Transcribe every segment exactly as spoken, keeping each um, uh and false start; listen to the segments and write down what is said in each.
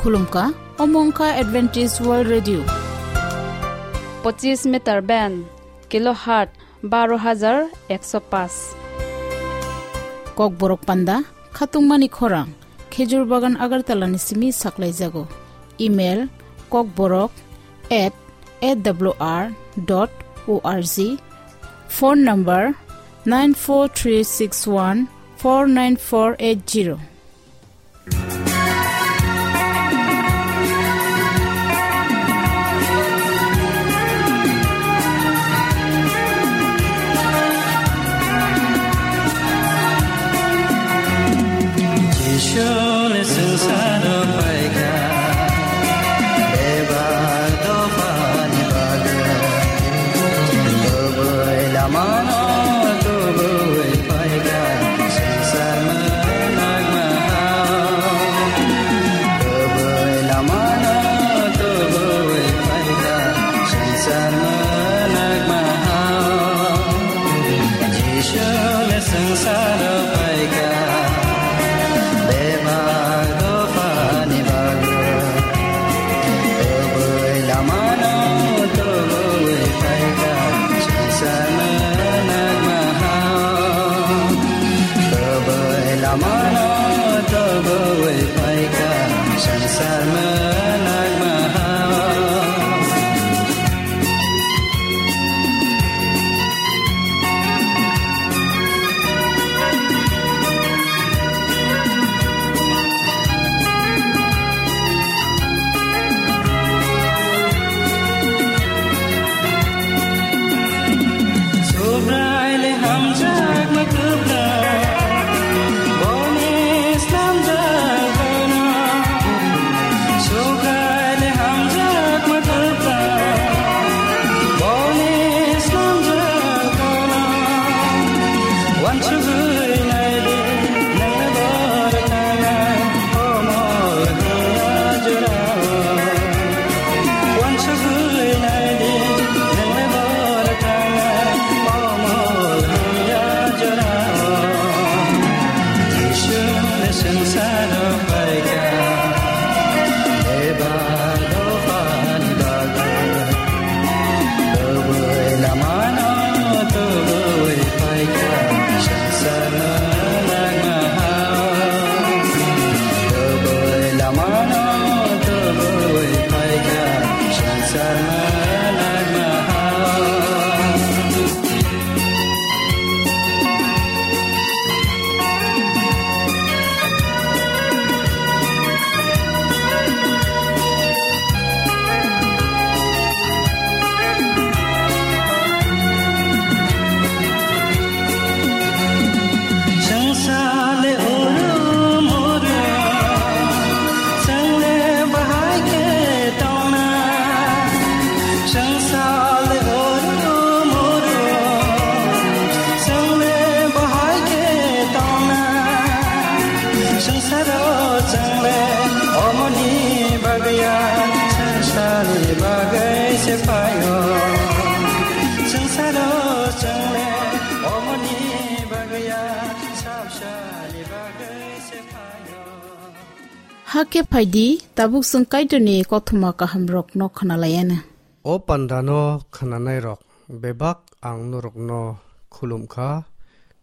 Khulumkha, omo wngkha Adventist World Radio. Pochis meter band, kilohertz baro hajar ekso paanch. Kokborok panda, khatungmani khorang, Khejur Bagan Agartala ni simi saklaijago. Email, kokborok at A W R dot O R G. Phone number, nine four three six one four nine four eight zero. Jisuni swngcharo phaikha, bebak dophani bagwi. Kubui lamano tubui phaikha, swngchar mwnakma hao. Kubui lamano tubui phaikha, swngchar mwnakma hao. Jisuni swngcharo phaikha, bebak dophani bagwi. Kubui lamano tubui phaikha, swngchar mwnakma hao. Kubui lamano tubui phaikha, swngchar mwnakma hao. Subraile hamjakma kwplai, boni slamjak bana. Subraile hamjakma kwplai, boni slamjak bana. Wansugwi naidi, nangni bor thangnai, omol hwnwi jorao. Wansugwi naidi, nangni bor thangnai, omol hwnwi jorao. Jisuni swngcharo phaikha, bebak dophani bagwi. Kubui lamano tubui phaikha, swngchar mwnakma hao. Kubui lamano tubui phaikha, swngchar mwnakma hao. Swngchar le oro moro, chwng le bahai khe tongna. Swngchar le oro moro, chwng le bahai khe tongna. Swngcharo chwng le omoni bagwi ya, swngcharni bagwi se phaio. Swngcharo chwng le omoni bagwi ya, swngcharni bagwi se phaio. Hakhe phaidi, tabuk chwng Kaitorni kothoma kahamrokno khwnalaiana. O pandano khwnanairok, bebak ang norokno khulum kha,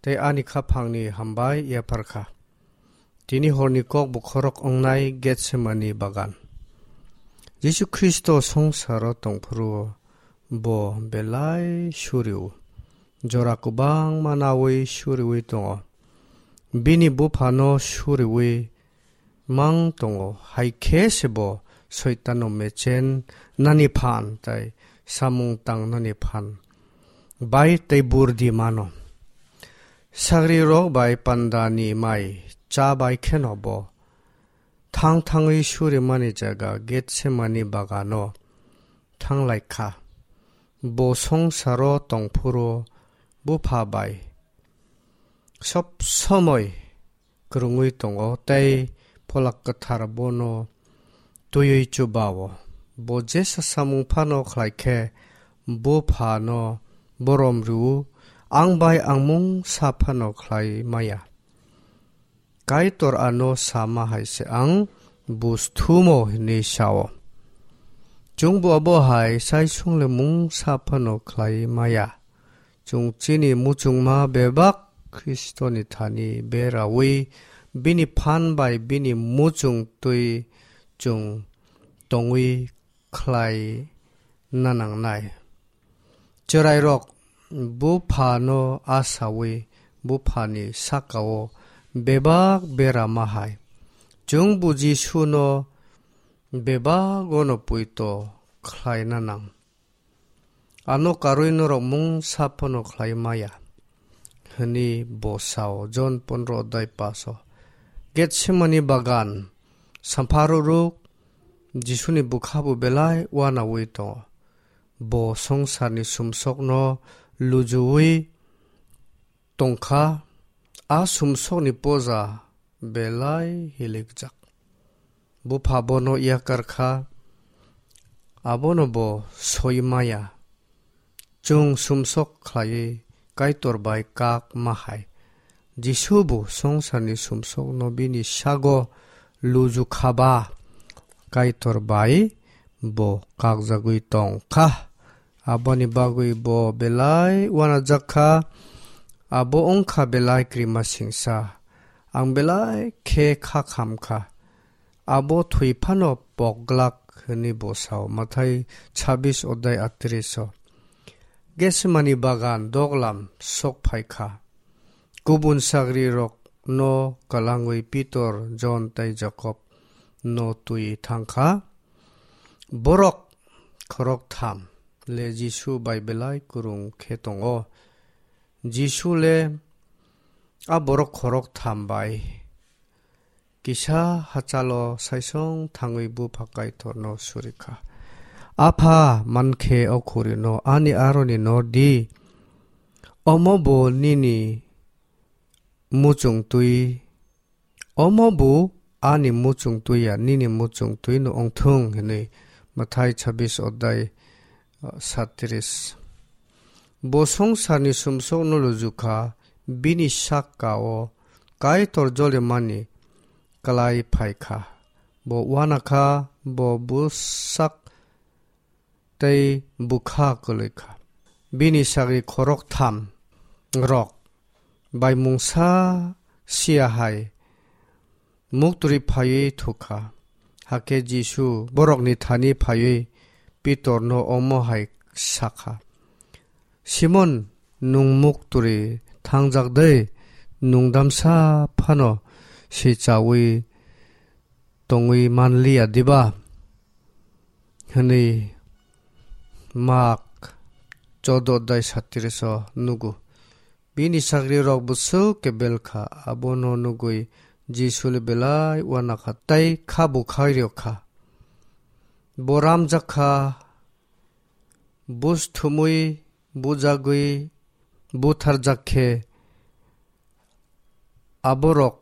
tei ani khaphangni hambai yaphar kha. Tini horni kok bokhorok wngnai Getsemani bagan. Jisu Khristo songsaro tongphuru bo belai suriu, jora kwbangma naui suriui tongo. Bini buphano suriui mang tongo, hai khe se bo Soitano mechen nani phan tei samung tang nani phan bai tei burdi mano. Sagrirok bai pandani mai cha bai kheno bo thang thangwi surimani jaga Getsemani bagano thanglai kha. Bo songsaro tongphuru bupha bai sob somoi kwrwngwi tongo tei Pholak Kwthar bono twiwi chubao. Bo jesa samung phano khlai khe buphano borom rw-o, ang bai ang mungsa phano khlai maya. Kaitor ano sama hai se ang buj thumo hwnwi sa-o. Chwngbo abo hai sai swngle mungsa phano khlai maya. Chwng chini muchungma bebak Khristoni thani beraui bini phan bai bini muchung twi chwng tongwi khlai na nangnai. Chwrairok buphano asaui buphani sakao bebak berama hai. Chwngbo Jisuno bebagono poito khlaina nang. Ano karwi norok mungsa phano khlai maya, hwnwi bo sao. Jon pondro adai paso. Getsemani bagan sampha ruruk Jisuni bwkha bo belai uanaui tongo. Bo songsarni sumsokno lujuui tongkha, a sumsokni poja belai hilikjak. Bupha bono yakar kha, abono bo soi maya. Chwng sumsok khlaiwi Kaitor bai kak ma hai. Jisu bo songsarni sumsokno bini sago luju kha ba, Kaitor bai bo kakjagwi tong kha. Aboni bagwi bo belai uanajak kha, abo wng kha belai krima singsa. Ang belai khe kha kham kha. Abo thwi phano pok glak hwnwi bo sao. Mathai chabbish odai atris o. Getsemani bagan doglam sok phai kha. Kubun sagrirokno kalangwi Pitor, Jon tei Jakob no twi thang kha. Borok khorok tham le Jisu bai belai kwrwng khe tongo. Jisu le a borok khorok tham bai kisa hachalo saisong thangwi bupha Kaitorno suri kha. Apha, mankhe o khurino ani aroni nor di. Omo bo nini muchung twi, omo bo ani muchung twi ya, nini muchung twi no ongthung hwnwi. Mathai chabbish odai, uh, satris. Bo songsarni sumsokno luju kha, bini sakao Kaitor jolimani klai phai kha. Bo uana kha, bo bwsak tei bwkha kwlwi kha. Bini sagri khorok tham rok bai mungsa sia hai muktwrwi phaiwi thuk kha. Hakhe Jisu borokni thani phaiwi Pitorno omo hai sa kha, "Simon, nwng muktwrwi thangjak de, nwng damsa phano sichaui tongwi man liya diba?" hwnwi Mak chordo dai satris o nugo. Bini sagrirok bwswk kebel kha, abono nugwi Jisu le belai uana kha tei kha bwkhai rw kha. Bo ramjak kha, buj thumwi bujagwi butharjak khe, aborok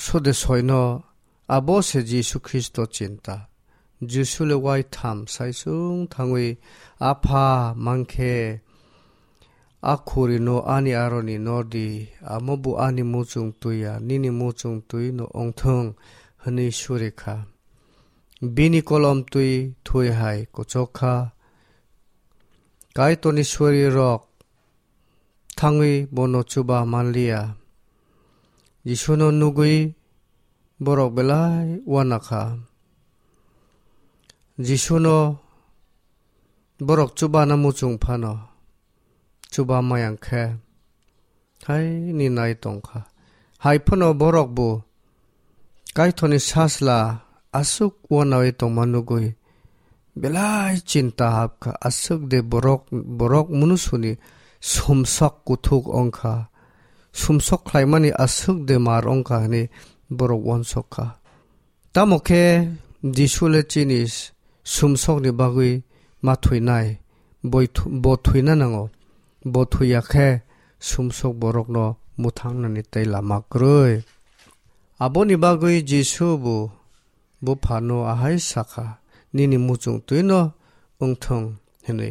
sode soino abo se Jisu Khristo chinta. Jisu le wai tham saisung thangwi, "Apha, mankhe a khurino ani aroni nor di, amo bo ani muchung twi ya, nini muchung twi no ongthung," hwnwi suri kha. Bini kolom twi thwi hai kuchuk kha. Kaitorni suarirok thangwi bono chuba man liya. Jisuno nugwi borok belai uana kha. Jisuno borok chubana muchung phano chuba mayang khe, haini nai tong kha. Hai phano borok bo Kaitorni sasla aswk uanaui tongma nugwi belai chinta hap kha. Aswk de borok, borok munusuni sumsok kuthuk wng kha, sumsok khlaimani aswk de mar wng kha hwnwi borok uansuk kha. Tamo khe Jisu le chini sumsokni bagwi ma thwinai, boi thu-, bo thwina nango. Bo thwiya khe sumsok borokno mwthangnani tei lama kwrwi. Aboni bagwi Jisu bo buphano ahai sakha, "Nini muchung twino wngthung," hwnwi.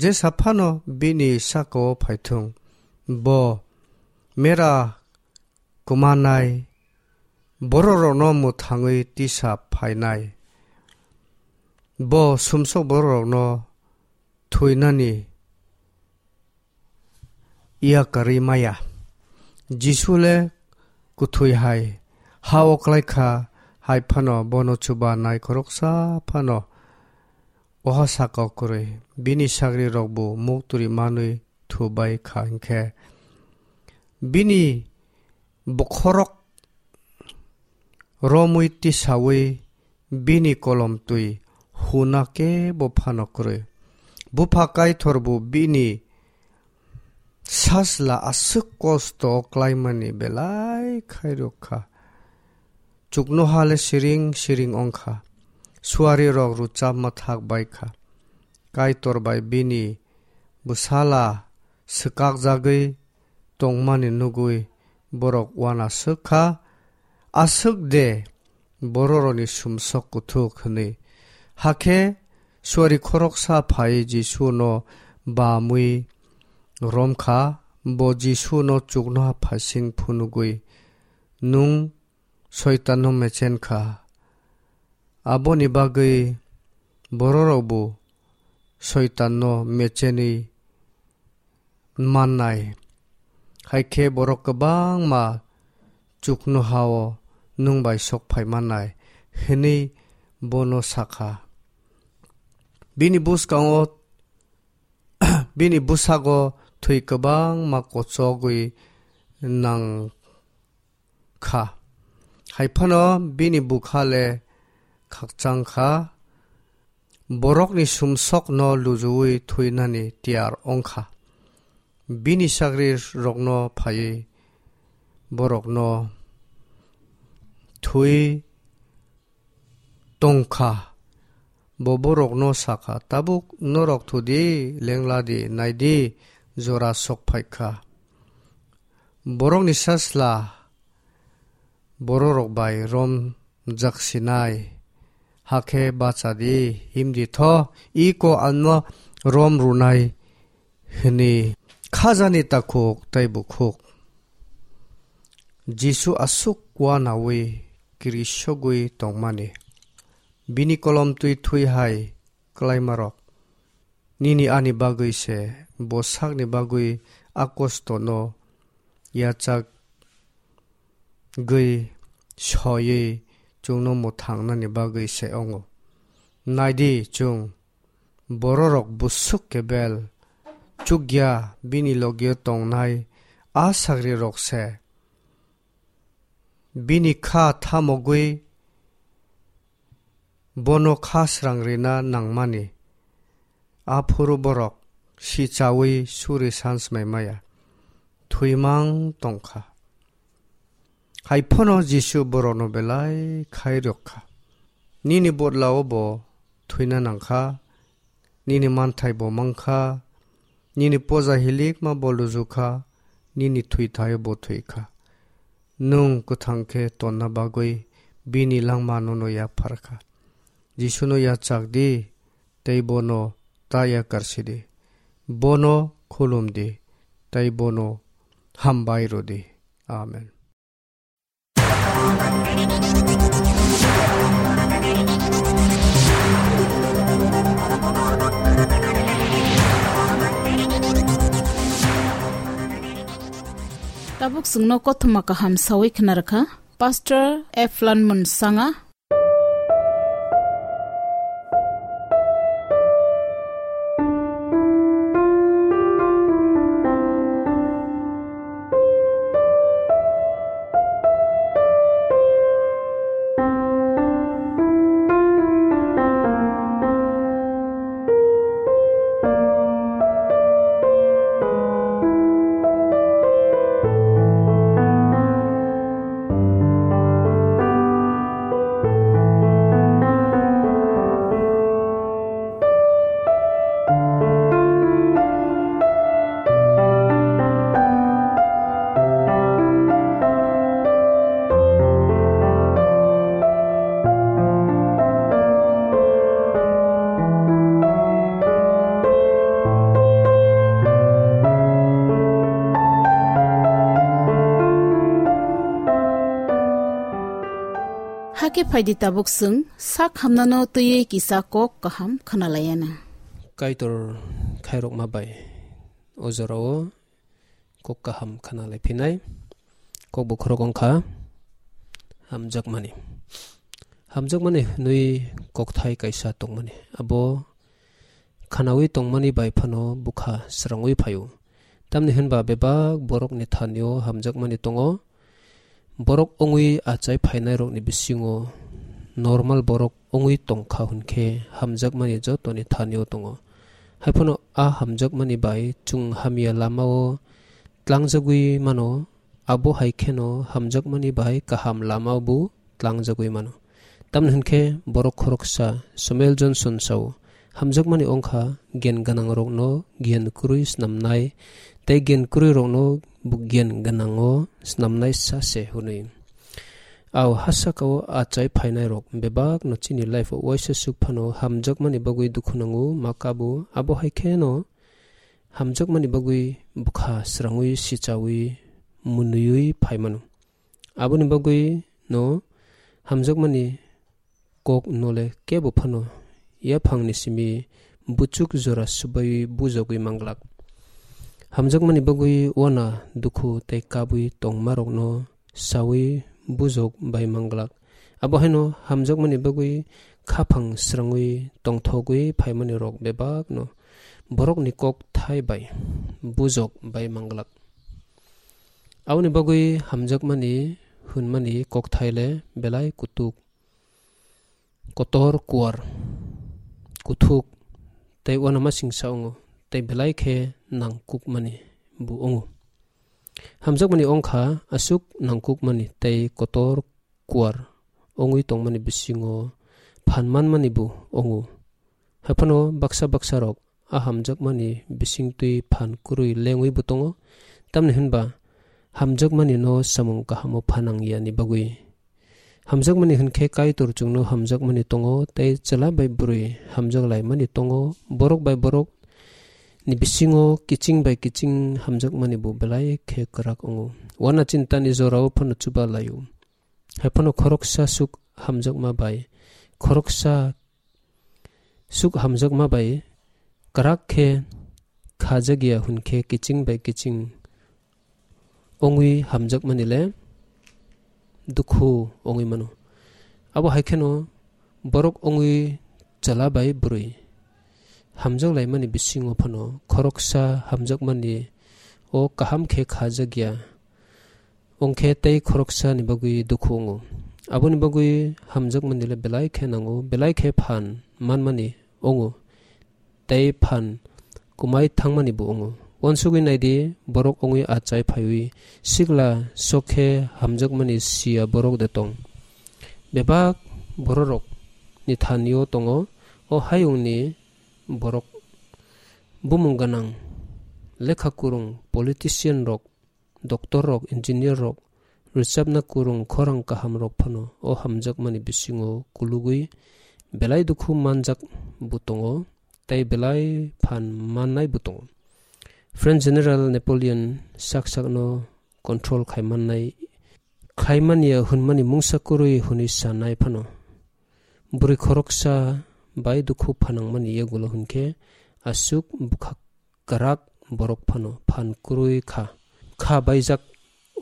Jesa phano bini sakao phaithung, bo mera kwmanai bororokno mwthangwi tisa phainai. Bo sumsok bororokno thwinani yakarwi maya. Jisu le kwthwi hai ha-o klai kha, hai phano bono chubanai khoroksa phano oha saka kwrwi. Bini sagrirokbo muktwrwi manwi thubai kha hinkhe, bini bokhorok romwi tisawi bini kolomtwi huna kebo phano kwrwi. Bupha Kaitorbo bini sajla aswk kosto klaimani belai khairok kha. Chuknoha le siring siring wng kha. Suarirok rwchapma thak bai kha. Kaitor bai bini bwsala swkakjagwi tongmani nugwi borok uanaswk kha, "Aswk de bororokni sumsok kuthuk," hwnwi. Hakhe suari khoroksa phaiwi Jisuno bamwi rom kha, bo Jisuno chuknoha phaising phunugwi, "Nwng Soitanno mechen kha." Aboni bagwi bororokbo Soitanno mechenwi mannai. Hai khe borok kwbangma chuknoha-o nwng bai sok phai mannai, hwnwi bono sa kha. Bini bwskango, bini bwsago thwi kwbangma kochogwi nang kha. Hai phano bini bwkha le khakchang kha, borokni sumsokno lujuwi thwinani tiyar wng kha. Bini sagrirokno phaiwi borokno thwi tong kha. Bo borokno sa kha, "Tabuk norok thu di, lengla di, nai di, jora sok phai kha." Borokni sajla bororok bai rom jaksinai, hakhe bacha di, him di tho, iko ano rom rwnai hwnwi khajani takhuk tei bukhuk. Jisu aswk uanaui kirisogwi tongmani, bini kolomtwi thwi hai klaimarok nini ani bagwi se, bo sakni bagwi a kostono yachagwi soiwi chwngno mwthangnani bagwi se wngo. Nai di, chwng bororok busuk kebel chukya bini logio tongnai a sagrirok se. Bini kha thamogwi bono kha srang rina nangmani. Aphuru borok sichaui suri sansmai maya, thwimang tongkha. Hai phano Jisu borokno belai khairok kha. Nini bodlao bo thwina nangkha, nini manthai bo mankha, nini poja hilikma bo lujukha, nini thwithaio bo thwikha. Nwng kwthang khe tonna bagwi bini langmano no yapharkha. Jisuno yachak di, tei bono ta yakarsi di. Bono khulum di, tei bono hambai rw di. Amen. Tabuk chwngno kothoma kaham sawi khna rwkha Pastor Eflan Munsanga. Khe phaidi tabuk chwng sak hamnano twiwi kisa kok kaham khwnalayana. Kaitor khairokma bai o jorao kok kaham khwnalai phinai. Kok bokhorok wngkha hamjakmani. Hamjakmani hwnwi kokthai kaisa tongmani. Abo khwnawi tongmani bai phano bwkha srangwi phaio. Tamni hwnba bebak borokni thanio hamjakmani tongo. Borok wngwi achai phainairokni bisingo normal borok wngwi tongkha hwnkhe hamjakmani jotoni thanio tongo. Haiphano a hamjakmani bai chwng hamya lamao tlangjagwi mano, abo hai kheno hamjakmani bai kaham lamao bo tlangjagwi mano. Tamni hwnkhe borok khoroksa Samuel Johnson sao, "Hamjakmani wngkha giyan gwnangrokno giyan kwrwi snamnai, tei giyan kwrwirokno bo giyan gwnango snamnai sa se," hwnwi. Ao hasakao achai phainairok bebakno chini life-o uaisa suk phano hamjakmani bagwi dukhu nango, ma kabo, abo hai kheno hamjakmani bagwi bwkha srangwi sichawi mwnwiwi phai mano. Aboni bagwi no hamjakmani kok nole kebo phano yaphangni simi buchuk jora subaiwi bujogwi manglak. Hamjakmani bagwi uana dukhu tei kabwi tongmarokno sawi bujok bai manglak. Abo haino hamjakmani bagwi khaphang srangwi tongthogwi phaimani rok bebakno borokni kok thai bai bujok bai manglak. Aboni bagwi hamjakmani hwnmani kokthai le belai kutuk, kotor, kuar, kuthuk tei uanamasingsa wngo, tei belai khe nangkukmani bo wngo. Hamjakmani wngkha aswk nangkukmani tei kotor, kuar wngwi tongmani bisingo phan manmani bo wngo. Haiphano baksa baksa rok a hamjakmani bisingtwi phan kwrwi lengwi bo tongo, tamni hwnba hamjakmani no samung kahamo phanang yani bagwi. Hamjakmani hwnkhe Kaitor chwngno hamjakmani tongo tei chwla bai bwrwi hamjak laimani tongo, borok bai borok ni bisingo kiching bai kiching hamjakmani bo belai khe kwrak wngo. Uana chintani jorao phano chuba laio. Haiphano khoroksa suk hamjakma bai, khoroksa suk hamjakma bai kwrak khe khajakya hwnkhe kiching bai kiching wngwi hamjakmani le dukhu wngwi mano. Abo hai kheno borok wngwi chwla bai bwrwi hamjak laimani bisingo phano khoroksa hamjakmani o kaham khe khajakya wngkhe tei khoroksani bagwi dukhu wngo. Aboni bagwi hamjakmani le belai khe nango, belai khe phan manmani wngo, tei phan kumai thangmani bo wngo. Uansugwi naidi, borok wngwi achai phaiwi sikla sok khe hamjakmani siya borok de tong? Bebak bororok ni thanio tongo, o hayungni borok bumung gwnang, lekha kwrwng, politician rok, doctor rok, engineer rok, rwchapna kwrwng, khorang kaham rok phano o hamjakmani bisingo kulugwi belai dukhu manjak bo tongo, tei belai phan mannai bo tongo. French General Napoleon sak sakno control khai mannai, khai manya hwnmani mungsa kwrwi hwnwi sanai phano, bwrwi khoroksa bai dukhu phanangmani yagulo hwnkhe aswk bwkha kwrak borok phano phan kwrwi kha, kha baijak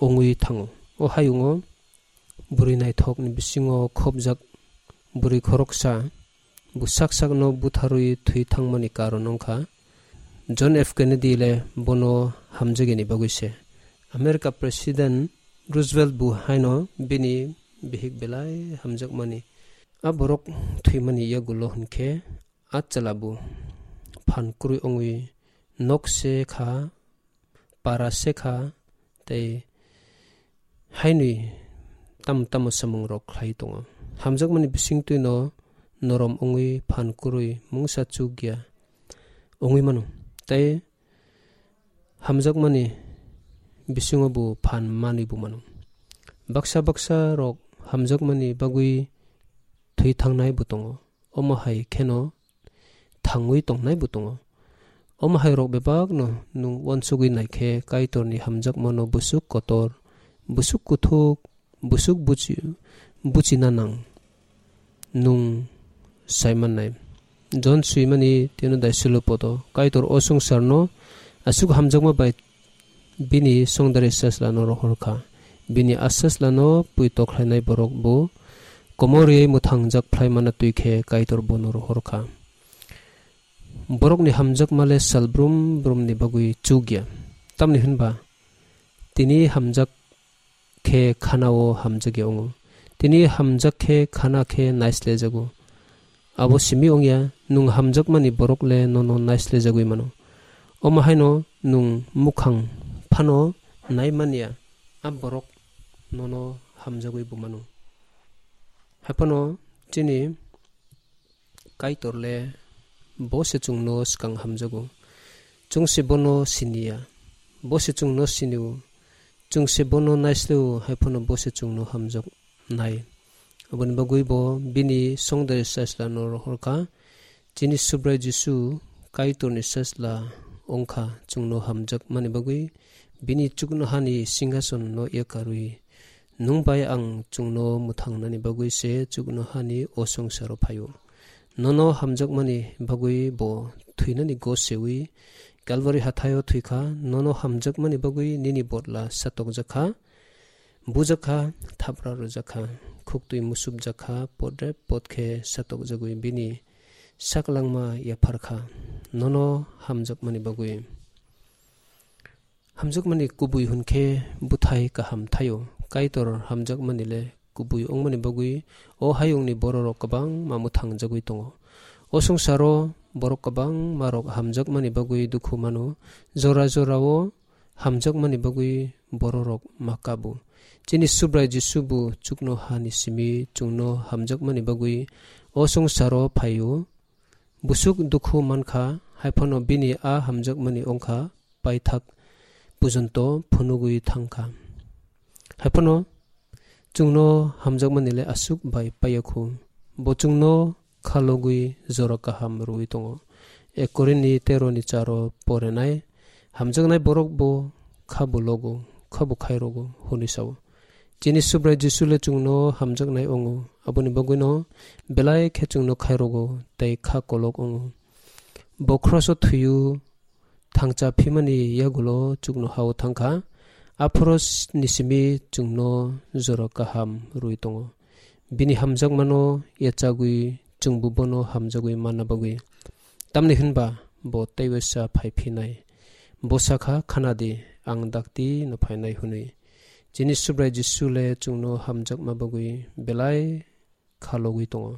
wngwi thango. O hayungo bwrwi naithokni bisingo khopjak bwrwi khoroksa bo sak sakno butharwi thwi thangmani karon wngkha John F Kennedy le bono hamjakya ni bagwi se. America President Roosevelt bo haino bini bihik belai hamjakmani. A borok thwimani yagulo hwnkhe a chwla bo phan kwrwi wngwi nok se kha, para se kha, tei hainwi tamo tamo samung rok khlai tongo. Hamjakmani bisingtwi no norom wngwi phan kwrwi mungsa chukya wngwi mano. Tei hamjakmani bisingo bo phan manwi bo mano. Baksa baksa rok hamjakmani bagwi thwi thangnai bo tongo. Omo hai kheno thangwi tongnai bo tongo. Omo hai rok bebakno nwng uansugwi naikhe Kaitorni hamjakmano bwswk kotor, bwswk kuthuk, bwswk buchi-, buchina nang. nwng sai mannai. Jon swimani tino daisulo poto, Kaitor o swngcharno aswk hamjakma bai bini songdari sachlano rohor kha. Bini a sachlano pui tokhlainai borok bo komorwi mwthangjak phlai mana twi khe Kaitor bono rohor kha. Borokni hamjakma le sal brum brumni bagwi chuk ya. Tamni hwnba tini hamjak khe khana-o hamjak ya wngo. Tini hamjak khe khana khe naislejago. Abo simi wngya, nwng hamjakmani borok le nono naislejagwi mano. Omo haino nwng mukhang phano nai man ya, a borok nono hamjagwi bo mano. Haiphano chini Kaitor le bo se chwngno swkang hamjago. Chwng se bono sini ya. Bo se chwngno sini-o. Chwng se bono naisle-o, haiphano bo se chwngno hamjak nai. Aboni bagwi bo bini songdari sachlano rohor kha. Chini Subrai Jisu Kaitorni sachla wng kha, chwngno hamjak mani bagwi bini chuknohani singhasono yakarwi. Nwng bai ang chwngno mwthangnani bagwi se chuknohani o songsaro phaio. Nono hamjakmani bagwi bo thwinani go sewi Kalvari hathaio thwi kha. Nono hamjakmani bagwi nini bodla satokjak kha, bujak kha, thapra rwjak kha, khuktwi musupjak kha, podrep pod khe satokjagwi bini saklangma yaphar kha. Nono hamjakmani bagwi. Hamjakmani kubui hwn khe bwthai kaham thaio. Kaitor hamjakmani le kubui wngmani bagwi o hayungni bororok kwbangma mwthangjagwi tongo. O swngsaro borok kwbangma rok hamjakmani bagwi dukhu mano. Jora jorao hamjakmani bagwi bororok ma kabo. Chini Subrai Jisu bo chuknohani simi chwngno hamjakmani bagwi o swngsaro phaio. Busuk dukhu mankha, haiphano bini a hamjakmani wngkha paithak pujonto phunugwi thangkha. Haiphano chwngno hamjakmani le aswk bai paiya khu. Bo chwngno khalogwi jora kaham rwui tongo. Ek Korinni tero ni charo porenai, hamjaknai borok bo kha bo logo, kha bo khairogo, hwnwi sao. Chini Subrai Jisu le chwngno hamjaknai wngo, aboni bagwino belai khe chwngno khairogo tei kha kolok wngo. Bo khroso thwiyu thangcha phimani yagulo chuknohao thangkha. Aphoro s-, ni simi chwngno jora kaham rwui tongo. Bini hamjakmano yachagwi chwngbo bono hamjagwi manna bagwi. Tamni hwnba bo teibo sa phai phinai. Bo sakha, "Khana di, ang dakti no phainai," hwnwi. Chini Subrai Jisu le chwngno hamjakma bagwi belai khalogwi tongo.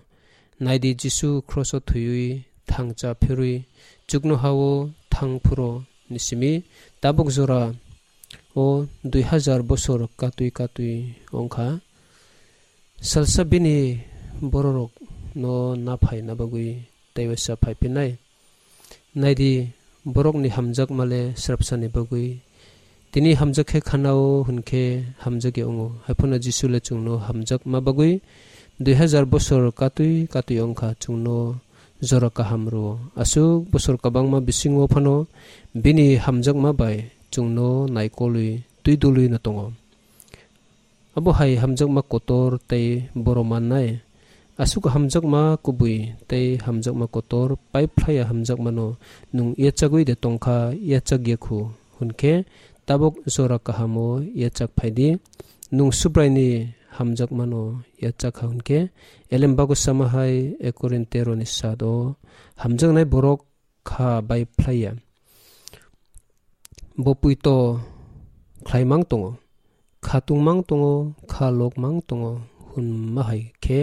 Naidi, Jisu khroso thwiwi thangcha phirwi chuknohao thang phuro ni simi tabuk jora o dui hajar bosor katwi katwi wngkha. Salsa bini bororok no naphai na bagwi teibo sa phai phinai. Naidi, borokni hamjakma le srapsani bagwi. Tini hamjak khe khanao hwn khe hamjak ya wngo. Haiphano Jisu le chwngno hamjakma bagwi dui hajar bosor katwi katwi wngkha, chwngno jora kaham rwo. Aswk bosor kwbangma bisingo phano bini hamjakma bai chwngno naikolwi twi dulwi no tongo. Abo hai hamjakma kotor tei boro mannai. Aswk hamjakma kubui tei hamjakma kotor, paiphlaiya hamjakmano nwng yachagwi de tongkha, yachak ya khu hwn khe tabuk jora kahamo yachak phai di. Nwng Subraini hamjakmano yachak kha hwn khe, Elembago sama hai ek Korin tero ni sat o hamjaknai borok kha bai phlai ya. Bo puito khlai mang tongo, kha tung mang tongo, kha lok mang tongo, hwnma hai khe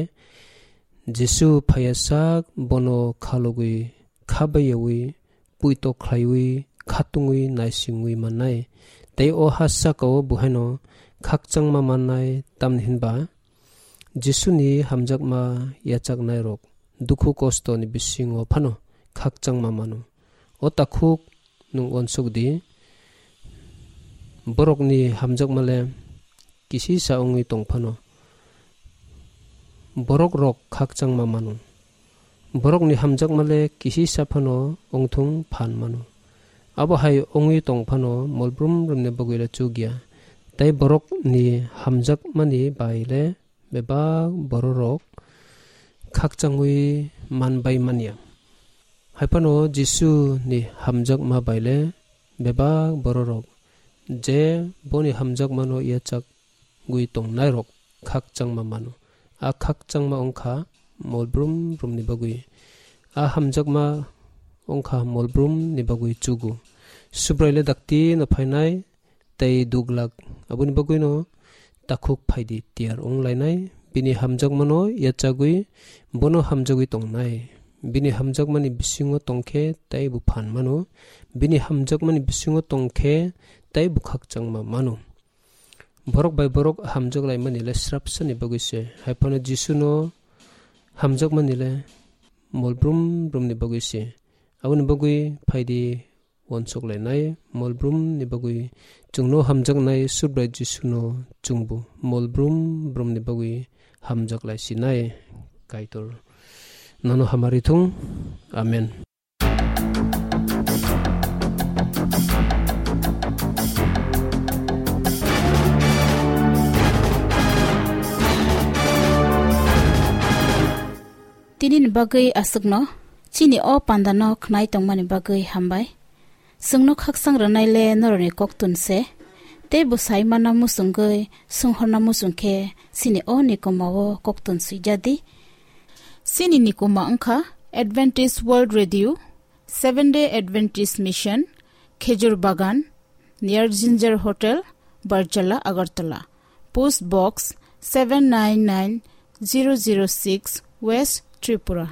Jisu phaiya sak bono kha logwi kha bai yaui puito khlaiwi kha tungwi naisingwi mannai. Tei o ha saka o bo haino khakchangma mannai, tamni hwnba Jisuni hamjakma yachaknairok dukhu kostoni bisingo phano khakchangma mano. O takhuk nwng uansuk di, borokni hamjakma le kisisa wngwi tong phano, borok rok khakchangma mano. Borokni hamjakma le kisisa phano wngthung phan mano. Abo hai wngwi tong phano molbrum romni bagwi le chuk ya. Tei borokni hamjakmani bai le bebak bororok khakchangwi man bai manya. Hai phano Jisu ni hamjakma bai le bebak bororok je boni hamjakmano yachak gwi tongnairok khakchangma mano. A khakchangma wngkha molbrum brumni bagwi. A hamjakma wngkha molbrum ni bagwi chugo. Subrai le dakti no phainai tei duglak. Aboni bagwino takhuk phaidi tiyar wng lainai. Bini hamjakmano yachagwi bono hamjagwi tongnai. Bini hamjakmani bisingo tongkhe tei bo phan mano. Bini hamjakmani bisingo tongkhe tei bo khakchangma mano. Borok bai borok hamjak laimani le srapsani bagwi se. Hai phano Jisuno hamjakmani le molbrum brumni bagwi se. Aboni bagwi phaidi uansuk lainai, molbrum ni bagwi chwngno hamjaknai Subrai Jisuno chwngbo molbrum brumni bagwi hamjak lai sinai. Kaitor nono hamari thung. Amen. Tini ni bagwi aswkno, chini o panda no khnai tongmani bagwi hambai. Chwngno khakchang rwnai le norokni koktun se, tei bo sai manna muchungwi swnghorna muchung khe chini o nikoma o koktun swijadi. Chini nikoma wngkha Adventist World Radio, Seventh Day Adventist Mission, Khejur Bagan, near Ginger Hotel, Barjala, Agartala. Post Box seven nine nine zero zero six, West Tripura.